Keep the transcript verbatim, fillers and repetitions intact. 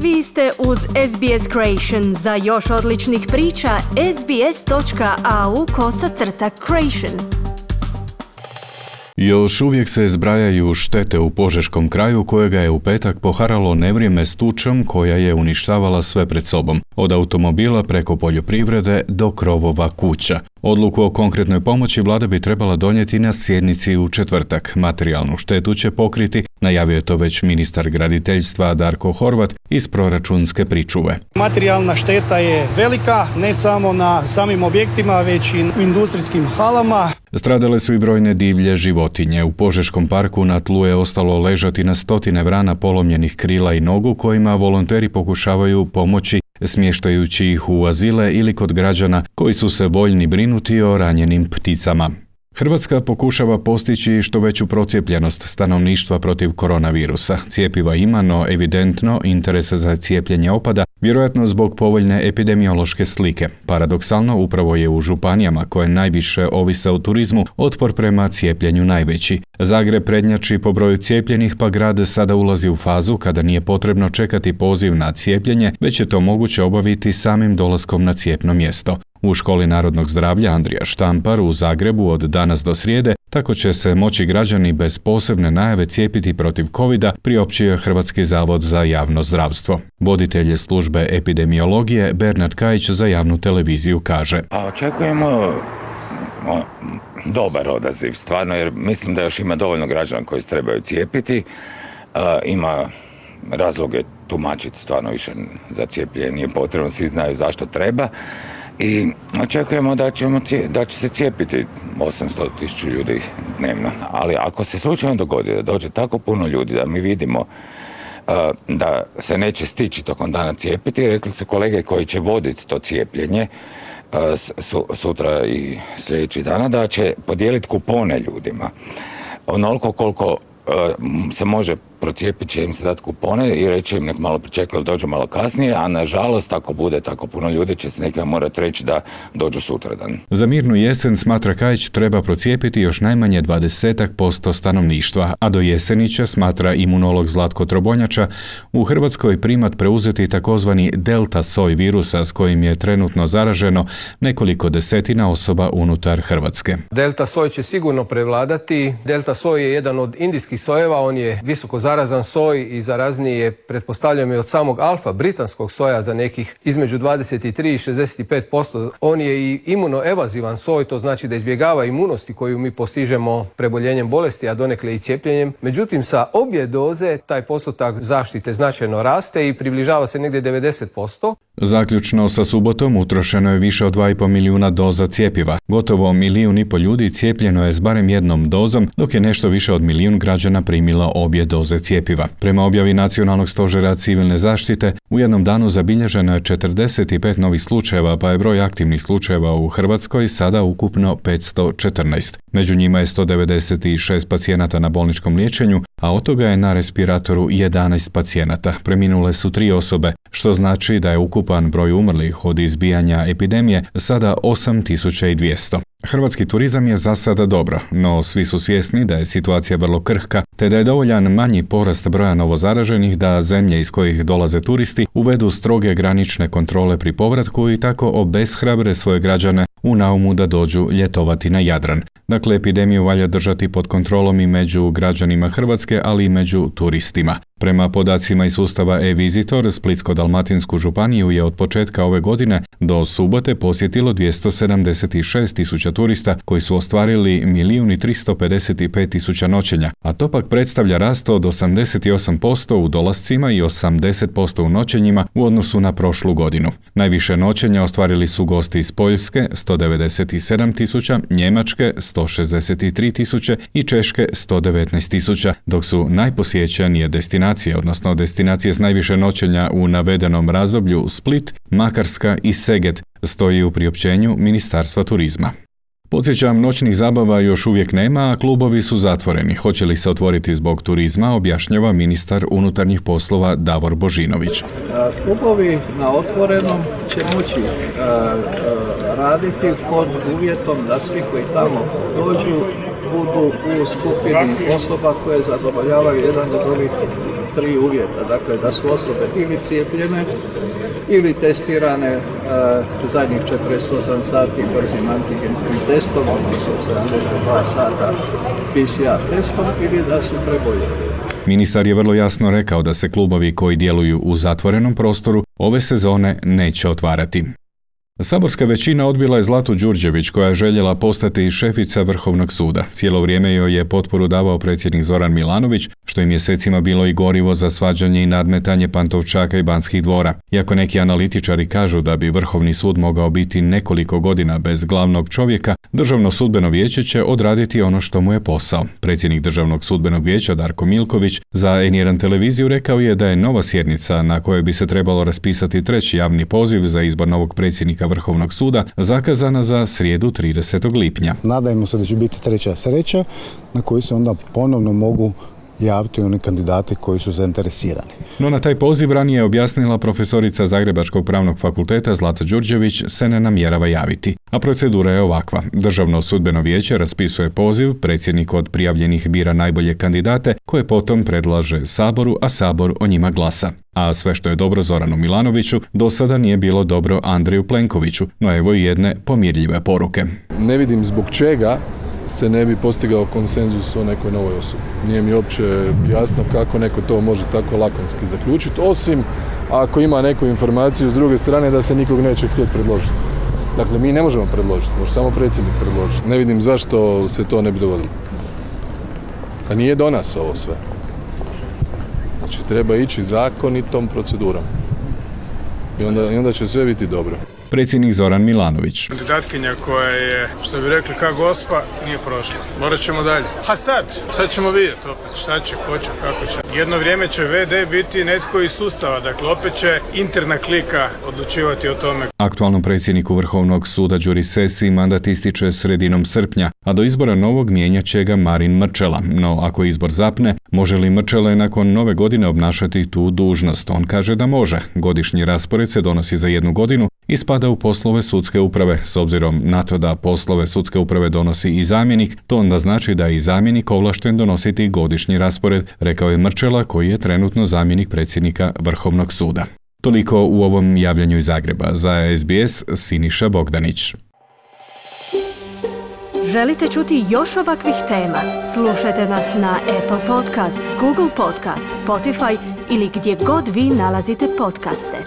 Vi ste uz S B S Creation. Za još odličnih priča, sbs.au kosacrta creation. Još uvijek se zbrajaju štete u Požeškom kraju kojega je u petak poharalo nevrijeme s tučom koja je uništavala sve pred sobom, od automobila preko poljoprivrede do krovova kuća. Odluku o konkretnoj pomoći vlada bi trebala donijeti na sjednici u četvrtak. Materijalnu štetu će pokriti, najavio je to već ministar graditeljstva Darko Horvat iz proračunske pričuve. Materijalna šteta je velika, ne samo na samim objektima, već i u industrijskim halama. Stradale su i brojne divlje životinje. U Požeškom parku na tlu je ostalo ležati na stotine vrana polomljenih krila i nogu kojima volonteri pokušavaju pomoći smještajući ih u azile ili kod građana koji su se voljni brinuti o ranjenim pticama. Hrvatska pokušava postići što veću procijepljenost stanovništva protiv koronavirusa. Cjepiva ima, no evidentno interes za cijepljenje opada, vjerojatno zbog povoljne epidemiološke slike. Paradoksalno, upravo je u županijama koje najviše ovise o turizmu otpor prema cijepljenju najveći. Zagreb prednjači po broju cijepljenih, pa grad sada ulazi u fazu kada nije potrebno čekati poziv na cijepljenje, već je to moguće obaviti samim dolaskom na cijepno mjesto. U Školi narodnog zdravlja Andrija Štampar u Zagrebu od danas do srijede tako će se moći građani bez posebne najave cijepiti protiv covida, priopćio je Hrvatski zavod za javno zdravstvo. Voditelj službe epidemiologije Bernard Kajić za javnu televiziju kaže: A očekujemo o, dobar odaziv, stvarno, jer mislim da još ima dovoljno građana koji se trebaju cijepiti. A, ima razloge tumačiti, stvarno više za cijepljenje nije potrebno, svi znaju zašto treba. I očekujemo da, ćemo, da će se cijepiti osamsto tisuća ljudi dnevno. Ali ako se slučajno dogodi da dođe tako puno ljudi da mi vidimo uh, da se neće stići tokom dana cijepiti, rekli su kolege koji će voditi to cijepljenje uh, su, sutra i sljedeći dana, da će podijeliti kupone ljudima. Onoliko koliko uh, se može procijepit će im se dati kupone i reći im nek malo pričekaju, dođu malo kasnije, a nažalost ako bude tako puno ljudi će se nekada morati reći da dođu sutradan. Za mirnu jesen, smatra Kajić, treba procijepiti još najmanje dvadeset posto stanovništva, a do jeseni će, smatra imunolog Zlatko Trobonjača, u Hrvatskoj primat preuzeti takozvani delta soj virusa s kojim je trenutno zaraženo nekoliko desetina osoba unutar Hrvatske. Delta soj će sigurno prevladati. Delta soj je jedan od indijskih sojeva, on je visoko zarazan soj i zarazniji je, pretpostavljam, i od samog alfa britanskog soja za nekih između dvadeset tri i šezdeset pet posto. On je i imunoevazivan soj, to znači da izbjegava imunosti koju mi postižemo preboljenjem bolesti, a donekle i cijepljenjem. Međutim, sa obje doze taj postotak zaštite značajno raste i približava se negdje devedeset posto. Zaključno sa subotom utrošeno je više od dva i pol milijuna doza cjepiva. Gotovo milijun i pol ljudi cijepljeno je s barem jednom dozom, dok je nešto više od milijun građana primilo obje doze cjepiva. Prema objavi Nacionalnog stožera civilne zaštite, u jednom danu zabilježeno je četrdeset pet novih slučajeva, pa je broj aktivnih slučajeva u Hrvatskoj sada ukupno petsto četrnaest. Među njima je sto devedeset šest pacijenata na bolničkom liječenju, a od toga je na respiratoru jedanaest pacijenata. Preminule su tri osobe, što znači da je ukupan broj umrlih od izbijanja epidemije sada osam tisuća dvjesto. Hrvatski turizam je za sada dobro, no svi su svjesni da je situacija vrlo krhka, te da je dovoljan manji porast broja novozaraženih da zemlje iz kojih dolaze turisti uvedu stroge granične kontrole pri povratku i tako obeshrabre svoje građane u naumu da dođu ljetovati na Jadran. Dakle, epidemiju valja držati pod kontrolom i među građanima Hrvatske, ali i među turistima. Prema podacima iz sustava e-Visitor, Splitsko-dalmatinsku županiju je od početka ove godine do subote posjetilo dvjesto sedamdeset šest tisuća turista koji su ostvarili milijun i tristo pedeset pet tisuća noćenja, a to pak predstavlja rast od osamdeset osam posto u dolascima i osamdeset posto u noćenjima u odnosu na prošlu godinu. Najviše noćenja ostvarili su gosti iz Poljske sto devedeset sedam tisuća, Njemačke sto šezdeset tri tisuće i Češke sto devetnaest tisuća, dok su najposjećenije destinacije odnosno destinacije s najviše noćenja u navedenom razdoblju Split, Makarska i Seget, stoji u priopćenju Ministarstva turizma. Podsjećam, noćnih zabava još uvijek nema, a klubovi su zatvoreni. Hoće li se otvoriti zbog turizma, objašnjava ministar unutarnjih poslova Davor Božinović. Klubovi na otvorenom će moći a, a, raditi pod uvjetom da svi koji tamo dođu budu u skupini osoba koje zadovoljavaju jedan od ovih tri uvjeta, dakle da su osobe ili cijepljene ili testirane e, zadnjih četrdeset osam sati brzim antigenskim testom, odnosno sedamdeset dva sata P C R testom ili da su preboljeli. Ministar je vrlo jasno rekao da se klubovi koji djeluju u zatvorenom prostoru ove sezone neće otvarati. Saborska većina odbila je Zlatu Đurđević koja je željela postati šefica Vrhovnog suda. Cijelo vrijeme joj je potporu davao predsjednik Zoran Milanović, što je mjesecima bilo i gorivo za svađanje i nadmetanje Pantovčaka i Banskih dvora. Iako neki analitičari kažu da bi Vrhovni sud mogao biti nekoliko godina bez glavnog čovjeka, Državno sudbeno vijeće će odraditi ono što mu je posao. Predsjednik Državnog sudbenog vijeća Darko Milković za en jedan televiziju rekao je da je nova sjednica na kojoj bi se trebalo raspisati treći javni poziv za izbor novog predsjednika Vrhovnog suda zakazana za srijedu tridesetog lipnja. Nadajmo se da će biti treća sreća na koju se onda ponovno mogu javiti oni kandidati koji su zainteresirani. No na taj poziv ranije je objasnila profesorica Zagrebačkog pravnog fakulteta Zlata Đurđević se ne namjerava javiti. A procedura je ovakva. Državno sudbeno vijeće raspisuje poziv, predsjednik od prijavljenih bira najbolje kandidate koje potom predlaže Saboru, a Sabor o njima glasa. A sve što je dobro Zoranu Milanoviću do sada nije bilo dobro Andreju Plenkoviću, no evo i jedne pomirljive poruke. Ne vidim zbog čega se ne bi postigao konsenzus o nekoj novoj osobi. Nije mi uopće jasno kako neko to može tako lakonski zaključiti, osim ako ima neku informaciju s druge strane da se nikog neće htjeti predložiti. Dakle, mi ne možemo predložiti, može samo predsjednik predložiti. Ne vidim zašto se to ne bi dogodilo. A nije do nas ovo sve. Znači, treba ići zakonitom procedurom. I onda, i onda će sve biti dobro. Predsjednik Zoran Milanović. Kandidatkinja koja je, što bi rekli, ka gospa, nije prošla. Morat ćemo dalje. A sad, sad ćemo vidjeti opet šta će, ko će, kako će. Jedno vrijeme će ve de biti netko iz sustava, dakle opet će interna klika odlučivati o tome. Aktualnom predsjedniku Vrhovnog suda Đuri Sesi mandat ističe sredinom srpnja, a do izbora novog mijenjat će ga Marin Mrčela. No ako izbor zapne, može li Mrčela nakon nove godine obnašati tu dužnost? On kaže da može. Godišnji raspored se donosi za jednu godinu i spada u poslove sudske uprave. S obzirom na to da poslove sudske uprave donosi i zamjenik, to onda znači da je i zamjenik ovlašten donositi godišnji raspored, rekao je Mrčela koji je trenutno zamjenik predsjednika Vrhovnog suda. Toliko u ovom javljanju iz Zagreba. Za es be es Siniša Bogdanić. Želite čuti još ovakvih tema? Slušajte nas na Apple Podcast, Google Podcast, Spotify ili gdje god vi nalazite podcaste.